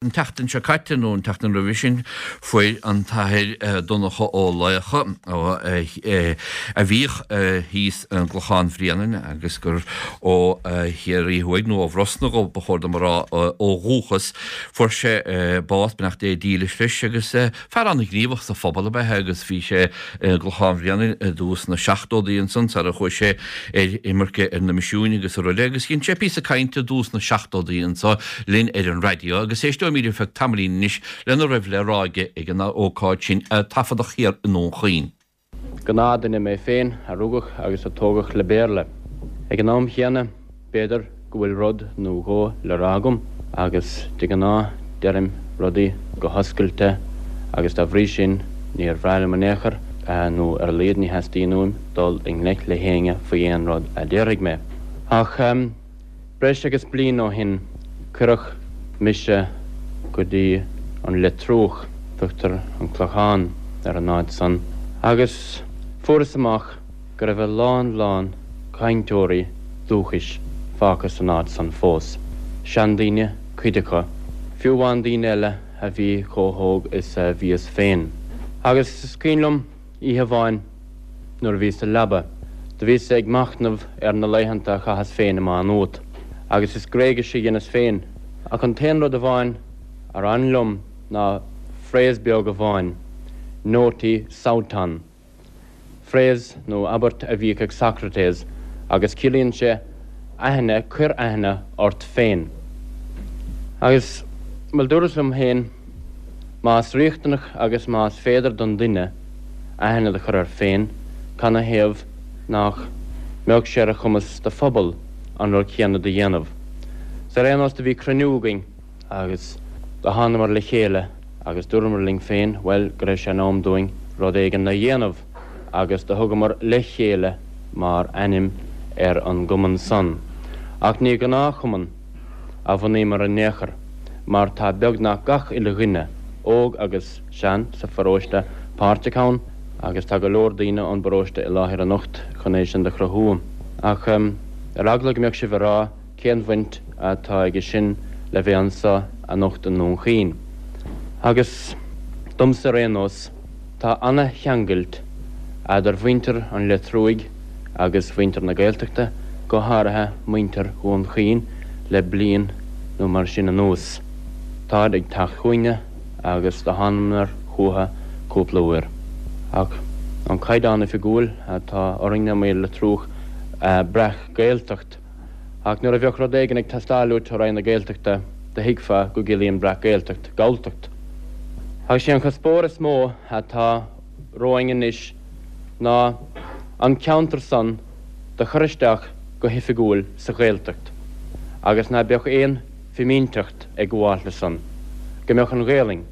An tseachtain seo caite, nó an tseachtain roimhe sin, fuair an tAthair Donncha Ó Laocha, a bhíodh thíos i gClochán Bhréanainn agus gur ó Chiarraí Thuaidh, nó ó Bhrosna dhó, ba chóir dom a rá, ó dhúchas, fuair sé bás, beannacht Dé dílis leis, agus Fear an-ghníomhach sa phobal ab ea é agus bhí sé i gClochán Bhréanainn i dtús na seachtódaí ansan sara chuaigh sé ar imirce ar na misiúin agus araile agus dhein sé píosa cainte i dtús na seachtódaí anso linn ar an raidió agus éisteoimid ar feadh tamaillín anois lena raibh le rá aige ag an ócáid sin a taifeadadh thiar i nDún Chaoin. Gnáthdhuine mé féin a rugadh agus a tógadh le Béarla. Ag an am chéanna, b'fhéidir go bhfuil rud nó dhó le rá agam agus de ghnáth deirim rudaí go hoscailte agus dá bhrí sin níor bhreá liom in aon chor, nó ar a laghad ní theastaíonn uaim dul i ngleic le héinne faoi aon rud a déarfaidh mé. Ach. Breis agus bliain ó shin cuireadh mise go dtí an Leitriúch, tugtar an Clochán ar an áit san, agus fuaireas amach go raibh a lán lán cainteoirí dúchais fágtha san áit san fós, seandaoine cuid acu, fiú amháin daoine eile a bhí chomh hóg is a bhíos féin. Agus is cuimhin liom oíche amháin, Nuair a bhíos sa leaba, do bhíos ag machnamh ar na laethanta a chaitheas féin i Má Nuat, agus is Gréigis a dheineas féin, ach an t-aon rud amháin ar fhan liom ná phrase beag amháin, Noti sauton. Phrase nó abairt a bhíodh ag Socrates, agus ciallaíonn sé aithne, cuir aithne ort féin. Agus, bhuel, dúras liom féin, más riachtanach agus más féidir don duine, aithne do chur air féin, canathaobh nach mbeadh sé ar a chumas do phobal an rud céanna do dhéanamh. 'S ar aon nós do bhí cruinniú againn agus do thánamar le chéile agus dúramar linn féin, bhuel, go raibh sé in am dúinn rud éigin a dhéanamh agus do thugamar Le Chéile mar ainm ar an gcumann san. Ach ní gnáthchumann a bhunaíomar in aon chor mar tá beagnach gach uile dhuine, óg agus. sean, sa pharóiste páirteach ann agus tá go leor daoine ón bparóiste i láthair anocht chun é sin do chruthú. Ach ar eagla go mbeadh sibh ag rá cén bhaint atá aige sin le bheith anso anocht i nDún Chaoin. Agus domsa ar aon nós, tá ana-cheangailt eadar mhuintir an Leitriúigh agus mhuintir na Gaeltachta, go háirithe muintir Dhún Chaoin le bliain nó mar sin anuas. Táid ag teacht chugainne. agus do thánamar chútha cúpla uair. Ach an caighdeán oifigiúil atá orainne amuigh i Leitriúch Breac-Ghaeltacht. Ach nuair a bheadh rud éigin ag teastáil uait ó Roinn na Gaeltachta do thuigfeá go gciallaíonn Breac-Ghaeltacht Galltacht. Ach sé an cuspóir is mó atá romhainn anois ná an ceantar san do chur isteach go hoifigiúil sa Ghaeltacht agus ná beadh aon fimínteacht ag gabháil le san, go mbeadh an Ghaelainn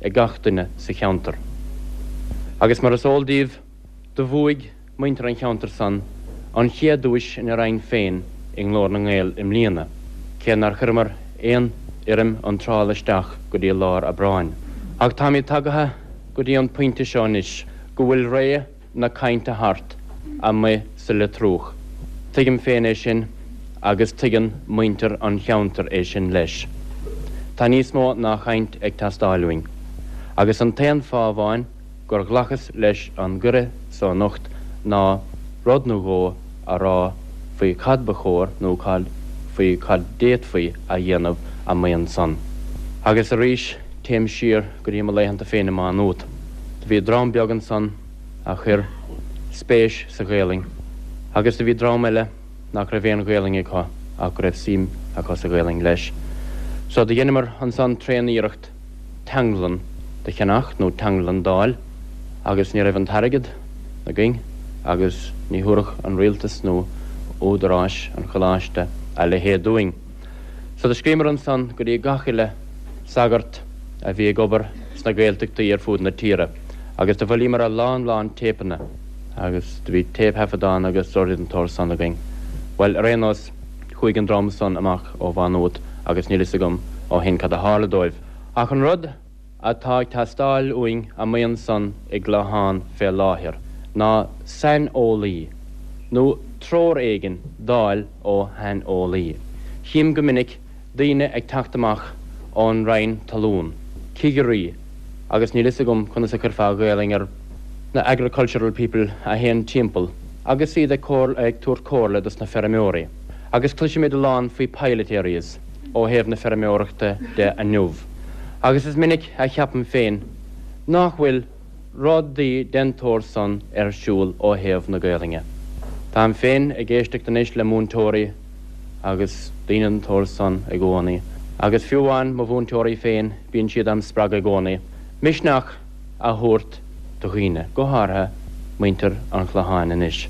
ag gach duine sa cheantar. Agus mar is eol daoibh, do bhuaigh muintir an cheantair san an chéad duais ina roinn féin i nGlór na nGael i mbliana, cé nár chuireamar aon fhoirm iontrála isteach go dtí lár Aibreáin. Ach táimid tagaithe go dtí an pointe seo anois go bhfuil ré na cainte thart amuigh sa Leitriúch. Tuigim féin é sin agus tuigeann muintir an cheantair é sin leis. Tá níos mó ná chaint ag teastáil uainn. Agus an t-aon fáth amháin gur ghlacas leis an gcuireadh so anocht ná rud nó dhó a rá faoi cad ba chóir nó cad faoi cad d'fhéadfaí a dhéanamh amuigh ansan. Agus arís téim siar go dtí mo laethanta féin i Má Nuat. Do bhí dream beag ansan a chuir spéis sa Ghaelainn agus do bhí dream eile nach raibh aon Ghaelainn acu ach go raibh suim acu sa Ghaelainn leis. So do dheineamar ansan tréan-iarracht teanglann do cheannach nó teanglann d'fháil agus ní raibh an t-airgead againn agus ní thabharfadh an rialtas nó údaráis an choláiste a leithéid dúinn. So do scríomar ansan go dtí gach uile sagart a bhí ag obair sna Gaeltachtaí ar fud na tíre agus do bhailíomar a lán lán téipeanna agus do bhí téipthaifeadán agus rudaí den tsórt san againn. Bhuel, ar aon nós, chuaigh an dream san amach ó Mhá Nuat agus níl fhios agam ó shin cad a tharla dóibh. Ach an rud atá ag teastáil uainn amuigh ansan i gClochán fé láthair ná saineolaí nó treoir éigin d'fháil ó shaineolaí. Chím go minic daoine ag teacht amach ón Roinn Talún, cigirí agus níl fhios agam conas a chuirfeá Gaelainn ar na agricultural people a théann timpeall agus iad ag ag tabhairt comhairle dos na feirmeoirí. Agus cloisimid a lán faoi pilot areas ó thaobh na feirmeoireachta de inniu. Agus is minic a cheapaim féin nach bhfuil rudaí den tsórt san ar siúl ó thaobh na Gaelainne. Táim féin ag éisteacht anois le múinteoirí agus daoine den tsórt san i gcónaí, agus fiú amháin mo mhúinteoirí féin, bíonn siad am spreagadh i gcónaí misneach a thabhairt do dhaoine, go háirithe muintir an Chlocháin anois.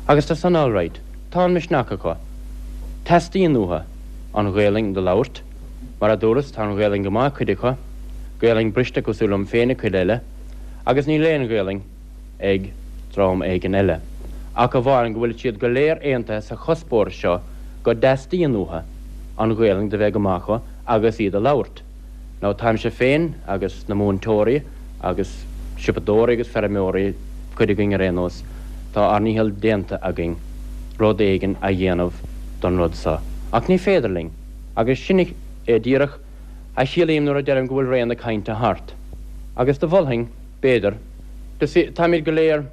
Agus tá san alright, tá an misneach acu. Teastaíonn uathu an Ghaelainn do labhairt. Mar a dúras, tá an Ghaelainn go maith ag cuid acu, Gaelainn briste cosúil liom féin ag cuid eile, agus níl aon Ghaelainn ag dream éigin eile, ach amháin go bhfuil siad go léir aontaithe sa chuspóir seo go dteastaíonn uathu an Ghaelainn do bheith go maith acu agus í do labhairt. Now táimse féin agus na múinteoirí agus siopadóirí agus feirmeoirí, cuid againn ar aon nós, tá ár ndícheall déanta againn rud éigin a dhéanamh don rud seo. Ach ní féidir linn. Agus sin é díreach a chiallaím nuair a deirim go bhfuil ré na cainte thart. Agus do mholfainn, b'fhéidir, you see, táimid go léir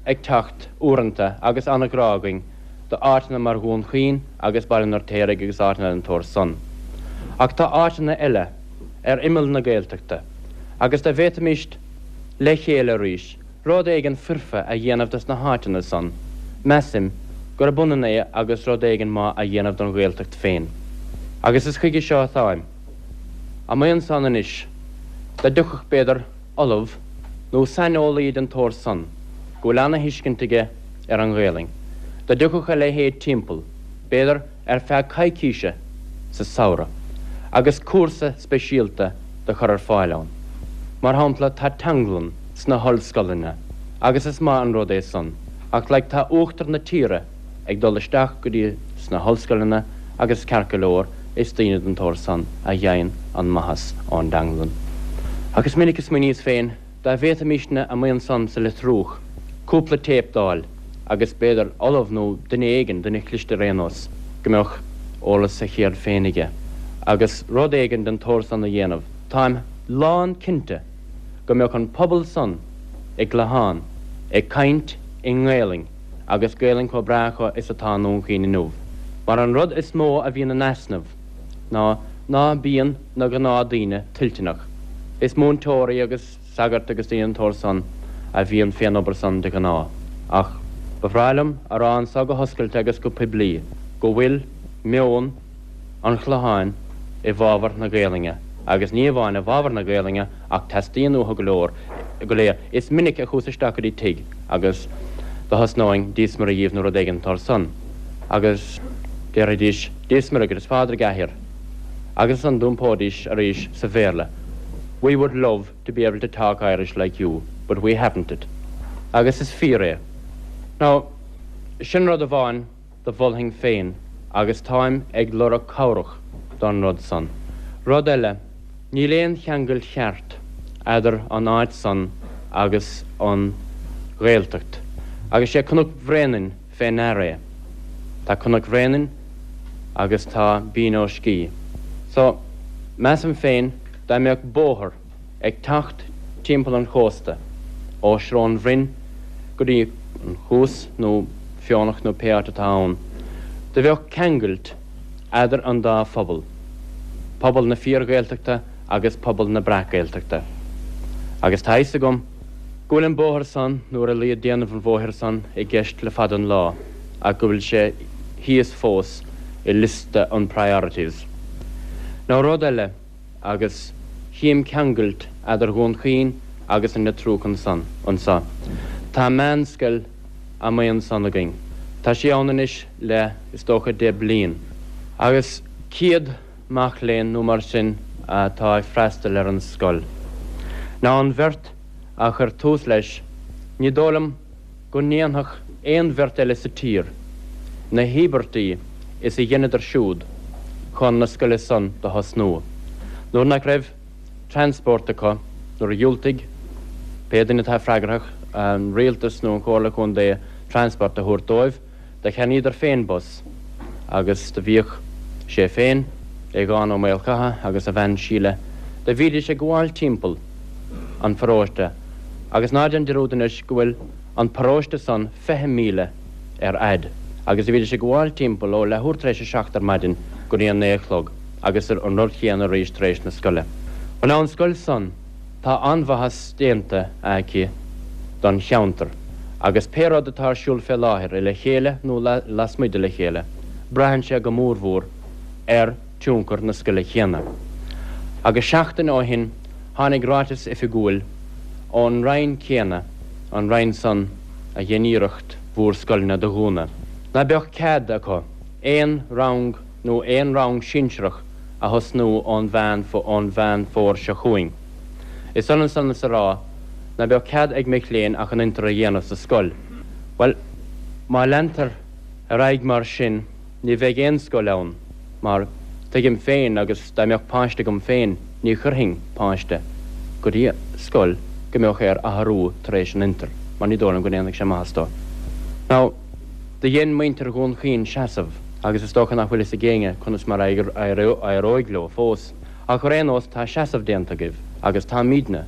ag teacht uaireanta agus an-ghrá againn do áiteanna mar Dhún Chaoin agus Baile an Fheirtéaraigh agus áiteanna den tsórt san. Ach tá áiteanna eile ar imeall na Gaeltachta agus dá bhféadfaimíst le chéile arís rud éigin foirfe a dhéanamh dos na háiteanna san, measaim gurb ionann é agus rud éigin maith a dhéanamh don Ghaeltacht féin. Agus is chuige seo atáim amuigh ansan anois, dá dtiocfadh, b'fhéidir, ollamh nó saineolaí den tsórt san, go bhfuil ana-thuiscint aige ar an Ghaelainn, dá dtiocfadh a leithéid timpeall, b'fhéidir, ar feadh coicíse sa samhradh agus cúrsa speisialta do chur ar fáil ann. Mar shampla, tá teanglann sna hollscoileanna agus is maith an rud é san ach like tá uachtar na tíre ag dul isteach go dtí sna hollscoileanna agus ceart go leor is daoine den tsórt san a gheibheann an maitheas ón dteanglann. Ach is minic a smaoiníos féin Dá bhféadfaimísne amuigh ansan sa Leitriúch cúpla téip d'fháil agus b'fhéidir ollamh nó duine éigin, duine cliste ar aon nós, go mbeadh eolas a cheird féin aige agus rud éigin den tsórt san a dhéanamh, táim lán cinnte go mbeadh an pobal san i gClochán ag caint i nGaelainn agus Gaelainn chomh breá acu is atá i nDún Chaoin inniu. Mar an rud is mó a bhíonn in easnamh ná ná bíonn na gnáthdaoine toilteanach. Is múinteoirí agus sagairt agus daoine den tsórt san a bhíonn fén obair san de ghnáth. Ach ba bhreá liom a rá anso go hoscailte agus go poiblí go bhfuil meon an Chlocháin i bhfabhar na Gaelainne agus ní amháin i bhfabhar na Gaelainne ach teastaíonn uathu go leor, go léir. Is minic a chuas isteach go dtí tigh agus do thosnóinn Dia 's Muire dhíbh nó rud éigin den tsórt san agus déarfaidís Dia 's Muire dhuit is Pádraig a athair. Agus ansan d'iompóidís arís sa Bhéarla, We would love to be able to talk Irish like you, but we haven't it. Agus is fíor é. Now, sin rud amháin do mholfainn féin agus táim ag lorg cabhrach don rud san. Rud eile, níl aon cheangal cheart eadar an áit san agus an Ghaeltacht. Agus sé Cnoc Bhréanainn fé ndear é. Tá Cnoc Bhréanainn agus tá Binn Ó Scíth. So, measaim féin dá mbeadh bóthar ag teacht timpeall an chósta ó Srón Bhroin go dtí an Chuas nó Fionach nó pé áit atá ann, do bheadh ceangailt eadar an dá phobal, pobal na fíor-Ghaeltachta agus pobal na breac-Ghaeltachta. Agus tá fhios agam go bhfuil an bóthar san, nó ar a laghad déanamh an bhóthair san, i gceist le fada an lá, ach go bhfuil sé thíos fós i liosta an priorities. Now rud eile, agus chím ceangailt eadar Dhún Chaoin agus an Leitriúch ansan, anso. Tá meánscoil amuigh ansan againn. Tá sí ann anois le, is dócha, 10 bliain. Agus 100 mac léinn nó mar sin atá ag freastal ar an scoil. Now an bheirt a chuir tús leis, ní dóigh liom go ndéanfadh aon bheirt eile sa tír na híobairtí is a dheineadar siúd chun na scoile san do thosnú. Nuair nach raibh transport acu, nuair a dhiúltaigh pé duine atá freagrach, an rialtas nó an Chomhairle Contae, transport a thabhairt dóibh, Do cheannaíodar féin bus agus do bhíodh sé féin. Aodhán Ó Maolchatha agus a bhean Síle, do bhídís ag gabháil timpeall an pharóiste agus ná déan dearúd anois go bhfuil an paróiste san 20 míle ar fhaid agus do bhídís ag gabháil timpeall ó leathuair tar éis a seacht ar maidin go dtí an naoi a chlog agus an rud chéanna arís tar éis na scoile. Bhuel now an scoil san tá an-mhaitheas déanta aici don cheantar agus pé rud atá ar siúl fé láthair i Le Chéile nó lasmuigh de Le Chéile braitheann sé go mórmhór ar tionchar na scoile chéanna. Agus seachtain ó shin tháinig ráiteas oifigiúil ón Roinn céanna, an Roinn san a dhein iarracht bhúr scoileanna do dhúnadh, ná beadh cead acu aon rang nó aon rang sinsearach a thosnú ón Mheán ón Mheán Fómhair seo chugainn. Is ionann san is a rá ná beadh cead ag mic léinn ach an Inter a dhéanamh sa scoil. Bhuel, má leantar ar aghaidh mar sin, Ní bheidh aon scoil ann, mar tuigim féin agus dá mbeadh páiste agam féin ní chuirfinn páiste go dtí scoil go mbeadh air athrú tar éis an Inter, mar ní dóigh liom go ndéanfadh sé maitheas dó. Now, do dhein muintir Dhún Chaoin seasamh agus is dócha nach bhfuil fhios ag éinne conas mar a éireoidh leo fós. Ach ar aon nós tá seasamh déanta agaibh agus táimídne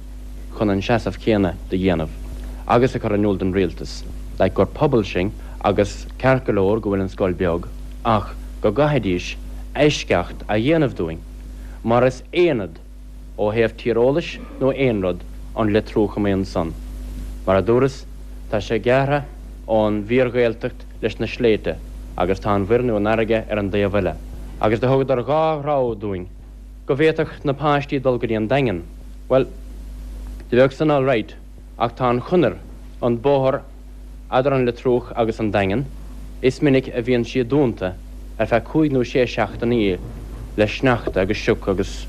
chun an seasamh céanna do dhéanamh agus a chur in iúl don rialtas like gur pobal sinn agus ceart go leor go bhfuil an scoil beag ach go gcaithfidís eisceacht a dhéanamh dúinn mar is aonad ó thaobh tíreolais nó aon rud an Leitriúch amuigh ansan. Mar a dúras tá sé gearrtha ón bhfíor-Ghaeltacht leis na sléibhte agus tá an mhuir nó an fharraige ar an dtaobh eile. Agus do thugadar dhá rogha dúinn, go bhféadfadh na páistí dul go dtí an Daingean. Bhuel, do bheadh san alright ach tá an chonair, an bóthar eadar an Leitriúch agus an Daingean, is minic a bhíonn sí dúnta ar feadh cúig nó sé seachtainí le sneachta agus sioc agus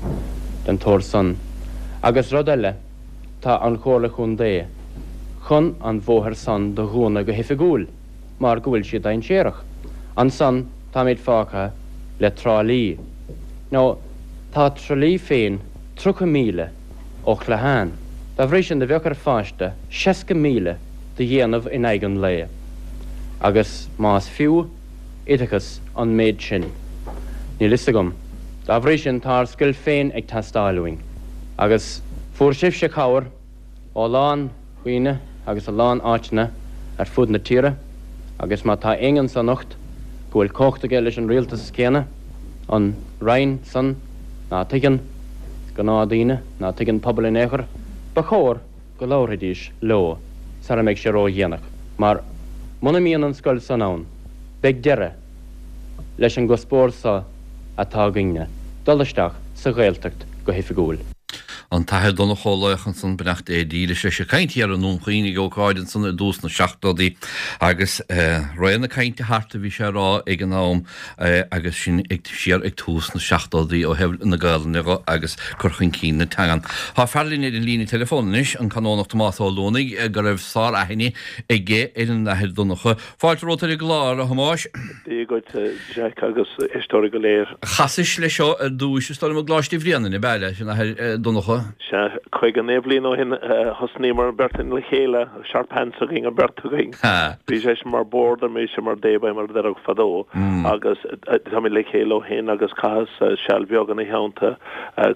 den tsórt san. Agus rud eile, tá an Chomhairle Chontae chun an bhóthair san do dhúnadh go hoifigiúil mar go bhfuil sí dainséarach. Ansan táimid fágtha le Trá Lí. Now tá Trá Lí féin 30 míle ó Chlochán. Dá bhrí sin do bheadh ar pháiste 60 míle do dhéanamh in aghaidh an lae. Agus más fiú oideachas an méid sin, níl fhios agam. Dá bhrí sin tá ár scoil féin ag teastáil uainn. Agus fuair sibhse cabhair ó a lán dhaoine agus a lán áiteanna ar fud na tíre agus má tá éinne anso anocht go bhfuil cumhacht aige leis an rialtas céanna, an Roinn san ná tuigeann gnáthdhaoine, ná tuigeann pobal in aon chor, ba chóir go labharfaidís leo sara mbeidh sé ródhéanach mar muna mbíonn an scoil san ann beidh deireadh leis an gcuspóir so atá againne, dul isteach sa Ghaeltacht go hoifigiúil. An tAthair Donncha Ó Laochan ansan, beannacht Dé dílis leis, ag caint thiar i nDún Chaoin ag ócáid ansan i dtús na seachtóidí agus ré na cainte thart a bhí sé a rá ag an am agus sin ag siar ag tús na seachtóidí ó thaobh na Gaelainne dho agus cur chun cinn na teangan. Tá fear linn ar an líne teileafóin anois, an Canónach Tomás Ó Luanaigh, go raibh sár-aithne aige ar an Athair Donncha. Fáilte romhat ar an gclár, a Thomáis. Dia dhuit, Jack, agus éisteoirí go léir. Chasais leis seo ar dtúis, is dóigh liom, i gColáiste Bhréanainn, ab ea, leis an Athair Donncha? Sea, 59 bliain ó shin thosnaíomar an bheirt le chéile, sharp pants againn, an bheirt againn. Bhí seisean mar boarder, mise mar dayboy mar a déarfá fadó, agus táimid le chéile ó shin agus chaitheas seal bheag ina theannta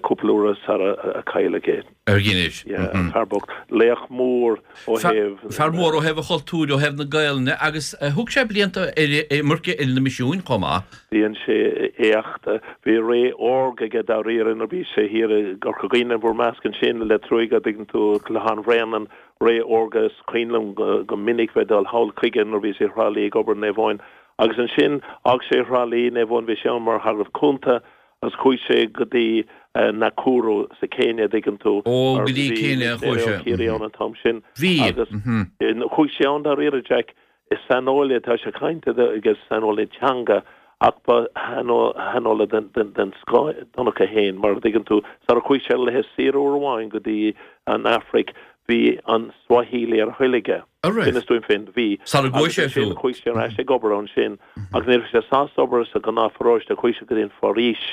cúpla uair sara a cailleadh é. Ar dheineadh. Yeah, fear bocht. Laoch mór ó thaobh. Fear mór ó thaobh an chultúir, ó thaobh na Gaelainne agus thug sé blianta ar imirce ar na misiúin chomh maith. Dhein sé éacht. Bhí ré órga aige dáiríre nuair a bhí sé thiar i gCorca Dhuibhne, bhur measc ansin, Leitir Frúige, an dtuigeann tú, Clochán Bhréanainn, ré órga. Is cuimhin liom go minic bheith ag dul thall chuige nuair a bhí sé i Thrá Lí ag obair i Naomh Eoin. Agus ansin d'fhág sé Thrá Lí, Naomh Eoin, bhí sé ann mar shagart cúnta Agus chuaigh sé go dtí Nakuru sa Céinia, an dtuigeann tú, Ó, go dtí Céinia a chuaigh sé. Ó Ciarraí ann an t-am sin. Bhí. Agus chuaigh sé ann dáiríre, Jack, is saineolaí atá sé caint aige, saineolaí teanga, ach ba shaineolaí den scoth Donncha féin, mar a dtuigeann tú, sara chuaigh sé ar laetha saoire uair amháin go dtí an Afraic, bhí an Swahili ar a thoil aige. An raibh? Inis dúinn féin, bhí. Sara gcuaigh sé Agus ansin chuaigh sé ar ais ag obair ansin agus ní raibh sé sásta obair sa ghnáthpharóiste, chuaigh sé go dtí an foraois,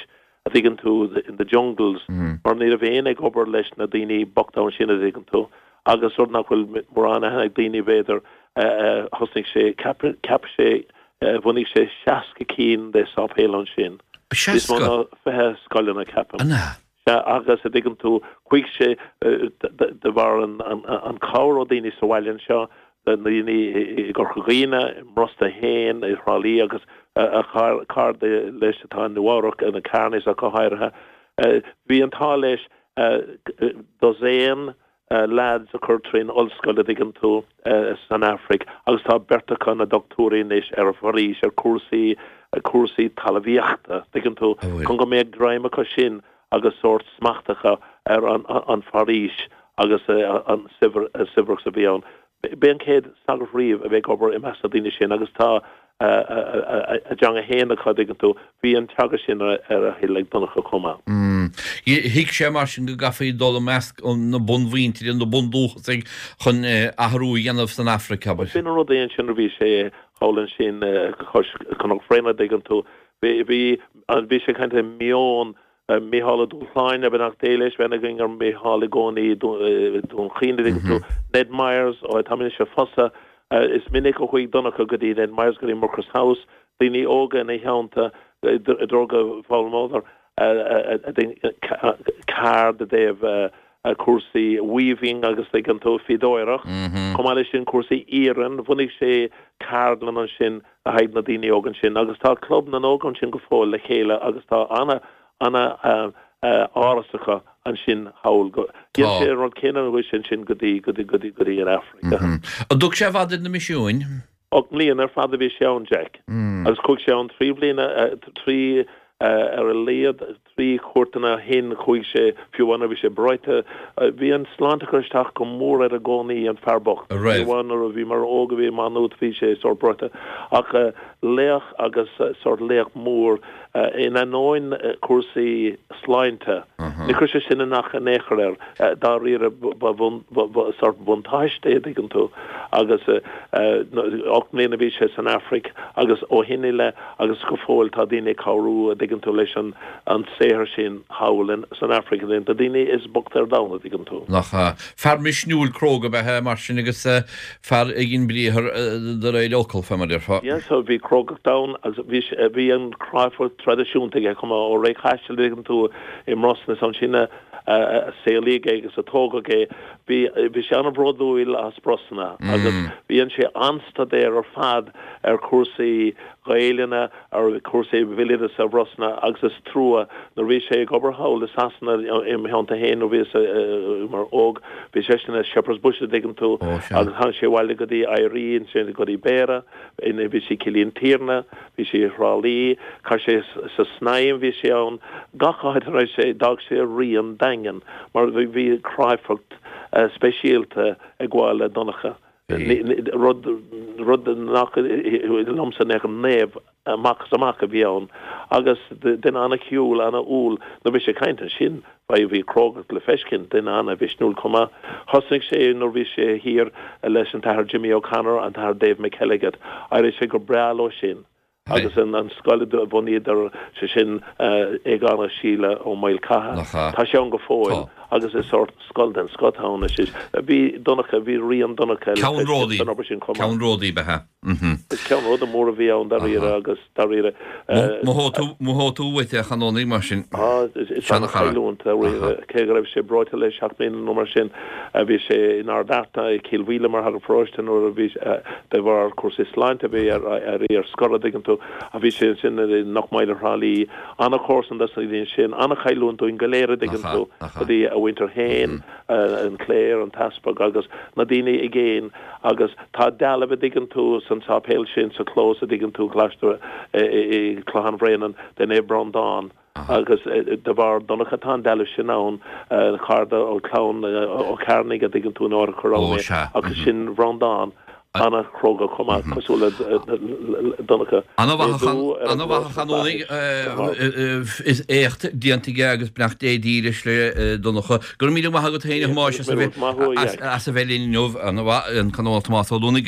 a dtuigeann tú, in the jungles, mar ní raibh éinne ag obair leis na daoine bochta ansin, a dtuigeann tú. Agus rud nach bhfuil mórán aithne ag daoine, b'fhéidir, thosnaigh sé, cheap sé, bhunaigh sé 60 cinn de sáipéil ansin. Níos mó ná 20 scoileanna, ceapaim. An ea? Sea, agus a dtuigeann tú, chuaigh sé de bharr an cabhair ó daoine sa bhaile anseo, na daoine i gCorca Dhuibhne, i mBrosna féin, i Thrá Lí agus a chairde leis atá i Nua Eabhrac, na Kearneys ach go háirithe. Bhí an t-ádh leis dosaen lads a chur trín ollscoil a dtuigeann tú san Afraic agus tá beirt acu ina dochtúirí anois ar an bhforaois, ar chúrsaí, cúrsaí talmhaíochta, tuigeann tú, chun go mbeadh greim acu sin agus sórt smacht acu ar an bhforaois agus an saibhreas a bhí ann. B'é an chéad sagart riamh a bheith ag obair i measc na daoine sin agus tá a dteanga fhéin acu, dtuigeann tú. Bhí an teagasc sin ar a thoil ag Donncha chomh maith. Thuig sé mar sin go gcaithfí dul i measc na bunmhuintire, na bundúchasaigh chun athrú a dhéanamh san Afraic, abair. B'in an rud é ansin nuair a bhí sé thall ansin cois Chnoc Bhréanainn, dtuigeann tú. Bhí, bhí sé ag caint le meon Mícheál Ó Dúshláine, beannacht Dé leis, bheith againn ar Mhícheál i gcónaí i Dún Chaoin, dtuigeann tú. Ned Myers, ó tá mise fosa, is minic a chuaigh Donncha go dtí Ned Myers, go dtí Mucross House, daoine óga ina theannta, i dtreo go bhfoghlaimeodar ceard i dtaobh cúrsaí weaving agus tuigeann tú, fíodóireacht. Chomh maith leis sin cúrsaí iarainn, bhunaigh sé ceardlann ansin le haghaidh na daoine óga ansin agus tá Club na nÓg ansin go fóill le chéile agus tá ana, ana áras acu ansin thall. Dhein sé an rud céanna nuair a chuaigh sé ansin go dtí, go dtí, go dtí, go dtí an Afraic. An dtug sé i bhfad ar na misiúin? 8 mbliana ar fad a bhí sé ann, Jack. Agus chuaigh sé ann 3 bliana, 3, ar a laghad, 3 chuairteanna ó shin, chuaigh sé, fiú amháin nuair a bhí sé breoite. Bhí an sláinte ag cur isteach go mór air i gcónaí, an fear bocht. Fiú amháin nuair a bhí mar óg a bhí i Maigh Nuad bhí sé sórt breoite. Ach laoch agus sórt laoch mór. In ainneoin cúrsaí sláinte, ní chuir sé sin isteach in aon chor air, dáiríre ba sórt buntáiste é, an dtuigeann tú. Agus 8 mbliana a bhí sé san Afraic agus ó shin i leith agus go fóill tá daoine ag cabhrú, an dtuigeann tú, leis an saothar sin thall san Afraic, na daoine is boichte ar domhan, an dtuigeann tú. Nach ea. Fear misniúil cróga ab ea é mar sin agus Fear a dhein briathar de réir fhocal, fé mar a déarfá. Yes, so bhí crógacht ann agus bhí sé, bhí an chráifeacht traidisiúnta aige chomh maith ó ré Chaisil, dtuigeann tú, i mBrosna, is ansin a saolaíodh é agus a tógadh é. Bhí, bhí sé an-bhródúil as Brosna agus dhein sé an-staidéar ar fad ar chúrsaí Gaelainne, ar chúrsaí bhéaloideasa Bhrosna agus is trua nuair a bhí sé ag obair thall i Sasana im theannta féin nuair a bhíos mar óg bhí seisean i Shepherd's Bush a dtuigeann tú agus tháinig sé abhaile go dtí Éirí ansin go dtí Béarra bhí sé i Cill Intiarna bhí sé i Thrá Lí chaith sé sa Snaidhm bhí sé ann gach áit a raibh sé d'fhág sé rian daingean mar bhí cráifeacht speisialta ag gabháil le Donncha. Rud, rud nach, liomsa nach naomh amach is amach a bhí ann agus duine an-chiúin, an-umhal. Nuair a bhí sé ag caint ansin, bhí, bhí crógacht le feiscint, duine an-mhisniúil chomh maith. Thosnaigh sé nuair a bhí sé thiar leis an tAthair Jimmy O'Connor, an tAthair Dave McElligott. D'éirigh sé go breá leo sin. Agus an scoil a bhunaíodar, sé sin Aogán agus Síle Ó Maolchatha, tá sé ann go fóill agus is sórt scoil den scoth atá ann anois. Bhí Donncha, bhí rian Donncha le feiscint san obair sin chomh maith. Ceannródaí ab ea é. Is ceannródaí mór a bhí ann dáiríre agus dáiríre. Mothóidh tú uait é, a Chanónaigh, mar sin. Is an-chailliúint dáiríre, cé go raibh sé breoite le seacht mbliana nó mar sin. Bhí sé in Ard Fhearta i Cill Mhíle mar shagart paróiste nuair a bhí, de bharr cúrsaí sláinte bhí air éirí ar scor, a dtuigeann tú. Ach bhí sé ansin i Knock Mile Thrá Lí. An-chomharsan dos na daoine sin, an-chailliúint dúinn go léir a dtuigeann tú, go dtí a mhuintir féin, an chléir, an t-easpag agus na daoine i gcéin agus tá dealbh a dtuigeann tú san sáipéal sin sa chlós a dtuigeann tú, Coláiste i Clochán Bhréanainn de Naomh Breandán. Agus de bharr Donncha tá an dealbh sin ann, cara ó chlann Ó Cearnaigh a dtuigeann tú an áit a chuir ann é, agus sin Bhreandán an-chróga chomh maith, cosúil le Donncha. Ana-mhaith a Chanónaigh, is éacht déanta aige agus beannacht Dé dílis le Donncha. Go raibh míle maith agat féin a Thomáis as a bheith linn inniu. Ana-mhaith, an Canónach Tomás Ó Luanaigh.